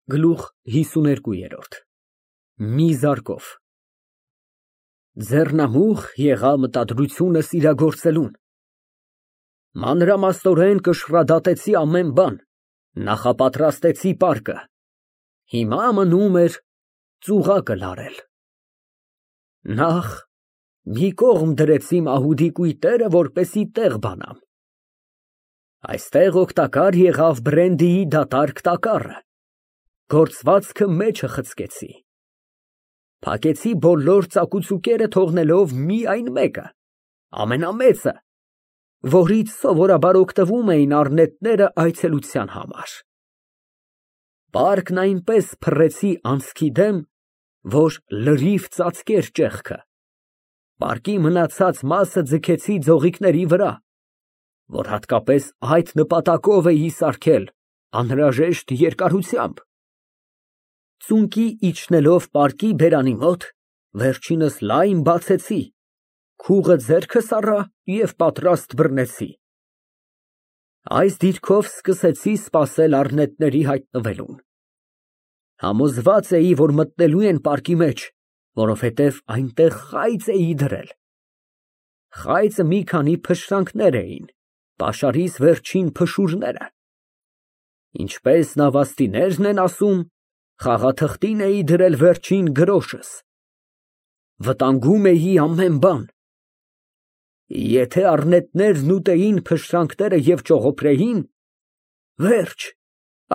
Գլուխ 52 Մի զարկով Ձեռնամուխ եղա մտադրությունս իրագործելուն, մանրամասնորեն կշռադատեցի ամեն բան, նախապատրաստեցի պարկը, հիմա մնում էր ծուղակը լարել։ Նախ մի կողմ դրեցի մահուդի կույտերը, որպեսի տեղ բանամ, այստեղ օգտակար եղավ բրենդիի դատարկ տակառը, գործվածքը մեջը խցկեցի, փակեցի բոլոր ծակուցուկերը թողնելով միայն մեկը, ամենամեծը, որից սովորաբար օգտվում էին առնետները այցելության համար։ Պարկն այնպես փռեցի անցքի դեմ, որ լրիվ ծածկեր ճեղքը, պարկի մնացած մասը ձգեցի ձողիկների վրա, որ հատկապես այդ նպատակով էի սարքել անհրաժեշտ երկարությամբ։ Ծունկի իջնելով պարկի բերանի մոտ, վերջինս լայն բացեցի, քուղը ձեռքս առա և պատրաստ բռնեցի։ Այս դիրքով սկսեցի սպասել առնետների հայտնվելուն։ Համոզված էի, որ մտնելու են պարկի մեջ, որովհետև այնտեղ խայծ էի դրել։ Խայծը մի քանի փշրանքներ էին, պաշարիս վերջին փշուրները։ Ինչպես նավաստիներն են ասում, խաղաթղթին էի դրել վերջին գրոշս։ Վտանգում էի ամեն բան։ Եթե առնետներն ուտեին փշրանքները և ճողոպրեին, վերջ,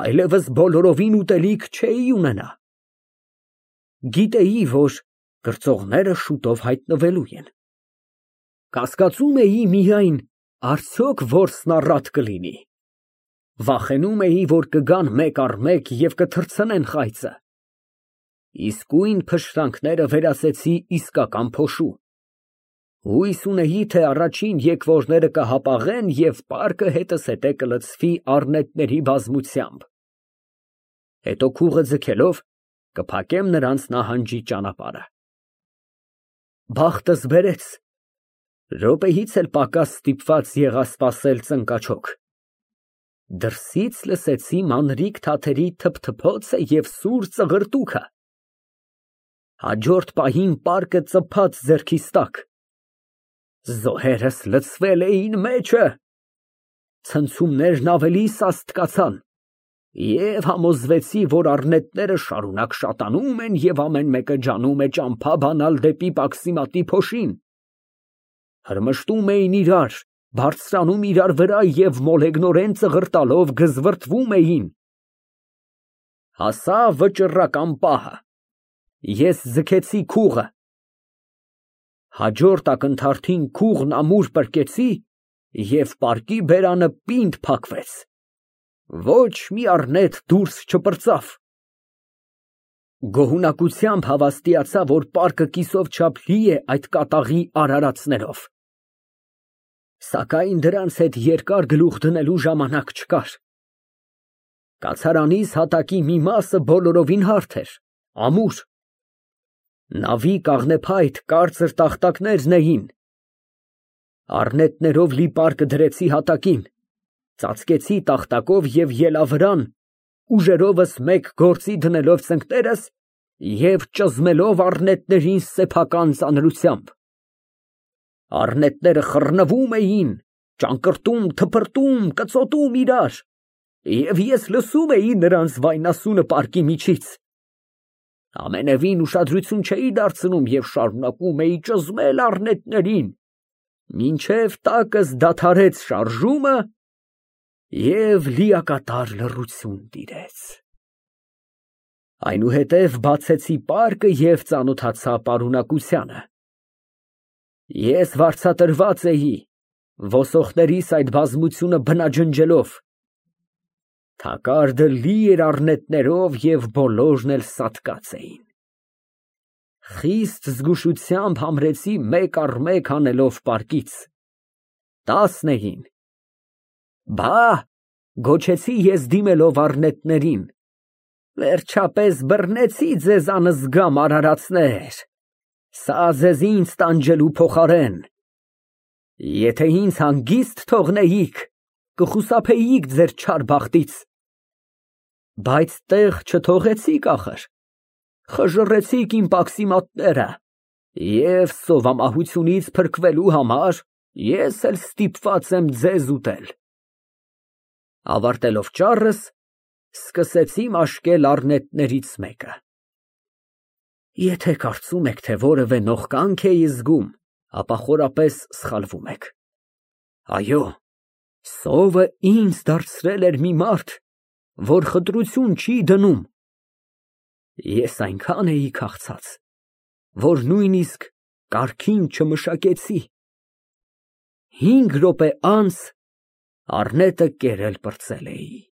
այլևս բոլորովին ուտելիք չէի ունենա։ Գիտեի, որ կրծողները շուտով հայտնվելու են։ Կասկածում էի միայն, արդյոք որսն առատ կլինի։ Վախենում էի, որ կգան մեկ առ մեկ և կթռցնեն խայծը։ Իսկույն փշրանքները վերածեցի իսկական փոշու։ Հույս ունեի, թե առաջին եկվորները կհապաղեն և պարկը հետզհետե կլցվի առնետների բազմությամբ։ Հետո քուղը ձգելով կփակեմ նրանց նահանջի ճանապարհը։ Բախտս բերեց, րոպեից էլ պակաս ստիպված եղա սպասել ծնկաչոք։ Դրսից լսեցի մանրիկ թաթերի թփթփոցը և սուր ծղրտուքը։ Հաջորդ պահին պարկը ծփաց ձեռքիս տակ։ Զոհերս լցվել էին մեջը։ Ցնցումներն ավելի սաստկացան և համոզվեցի, որ առնետները շարունակ շատանում են և ամեն մեկը ջանում է ճամփա բանալ դեպի պաքսիմատի փոշին։ Հրմշտում էին իրար, բարձրանում իրար վրա և մոլեգնորեն ծղրտալով գզվռտվում էին։ Հասավ վճռական պահը։ Ես ձգեցի քուղը։ Հաջորդ ակնթարթին քուղն ամուր պրկեցի և պարկի բերանը պինդ փակվեց։ Ոչ մի առնետ դուրս չպրծավ։ Գոհունակությամբ հավաստիացա, որ պարկը կիսով չափ լի է այդ կատաղի արարածներով։ Սակայն դրանց հետ երկար գլուխ դնելու ժամանակ չկար։ Կացարանիս հատակի մի մասը բոլորովին հարթ էր, ամուր։ Նավի կաղնեփայտ կարծր տախտակներն էին։ Առնետներով լի պարկը դրեցի հատակին, ծածկեցի տախտակով և ելավրան, ուժերովս մեկ գործի դնելով ծնկներս և ճզմելով առնետներին սեփական ծանրությամբ։ Առնետները խռնվում էին, ճանկռտում, թփրտում, կծոտում իրար, և ես լսում էի նրանց վայնասունը պարկի միջից։ Ամենևին ուշադրություն չէի դարձնում և շարունակում էի ճզմել առնետներին, մինչև տակս դադարեց շարժումը և լիակատար լռություն տիրեց։ Այնուհետև բացեցի պարկը և ծանոթացա պարունակությանը։ Ես վարձատրված էի, ոսոխներիս այդ բազմությունը բնաջնջելով։ Թակարդը լի էր առնետներով և բոլորն էլ սատկած էին։ Խիստ զգուշությամբ համրեցի մեկ առ մեկ հանելով պարկից։ 10 էին։ Բա, գոչեցի ես դիմելով առնետներին, վերջապես բռնեցի ձեզ անզգամ արարածներ, սա ձեզ ինձ տանջելու փոխարեն։ Եթե ինձ հանգիստ թողնեիք, կխուսափեիք ձեր չար բախտից։ Բայց տեղ չթողեցիք ախր, խժռեցիք իմ պաքսիմատները և սովամահությունից փրկվելու համար ես էլ ստիպված եմ ձեզ ուտել։ Ավարտելով ճառս, սկսեցի մաշկել առնետներից մեկը։ Եթե կարծում եք, թե որևէ նողկանք էի զգում, ապա խորապես սխալվում եք։ Այո, սովը ինձ դարձրել էր մի մարդ, որ խտրություն չի դնում։ Ես այնքան էի քաղցած, որ նույնիսկ կարգին չմշակեցի։ 5 րոպե անց առնետը կերել պրծել էի։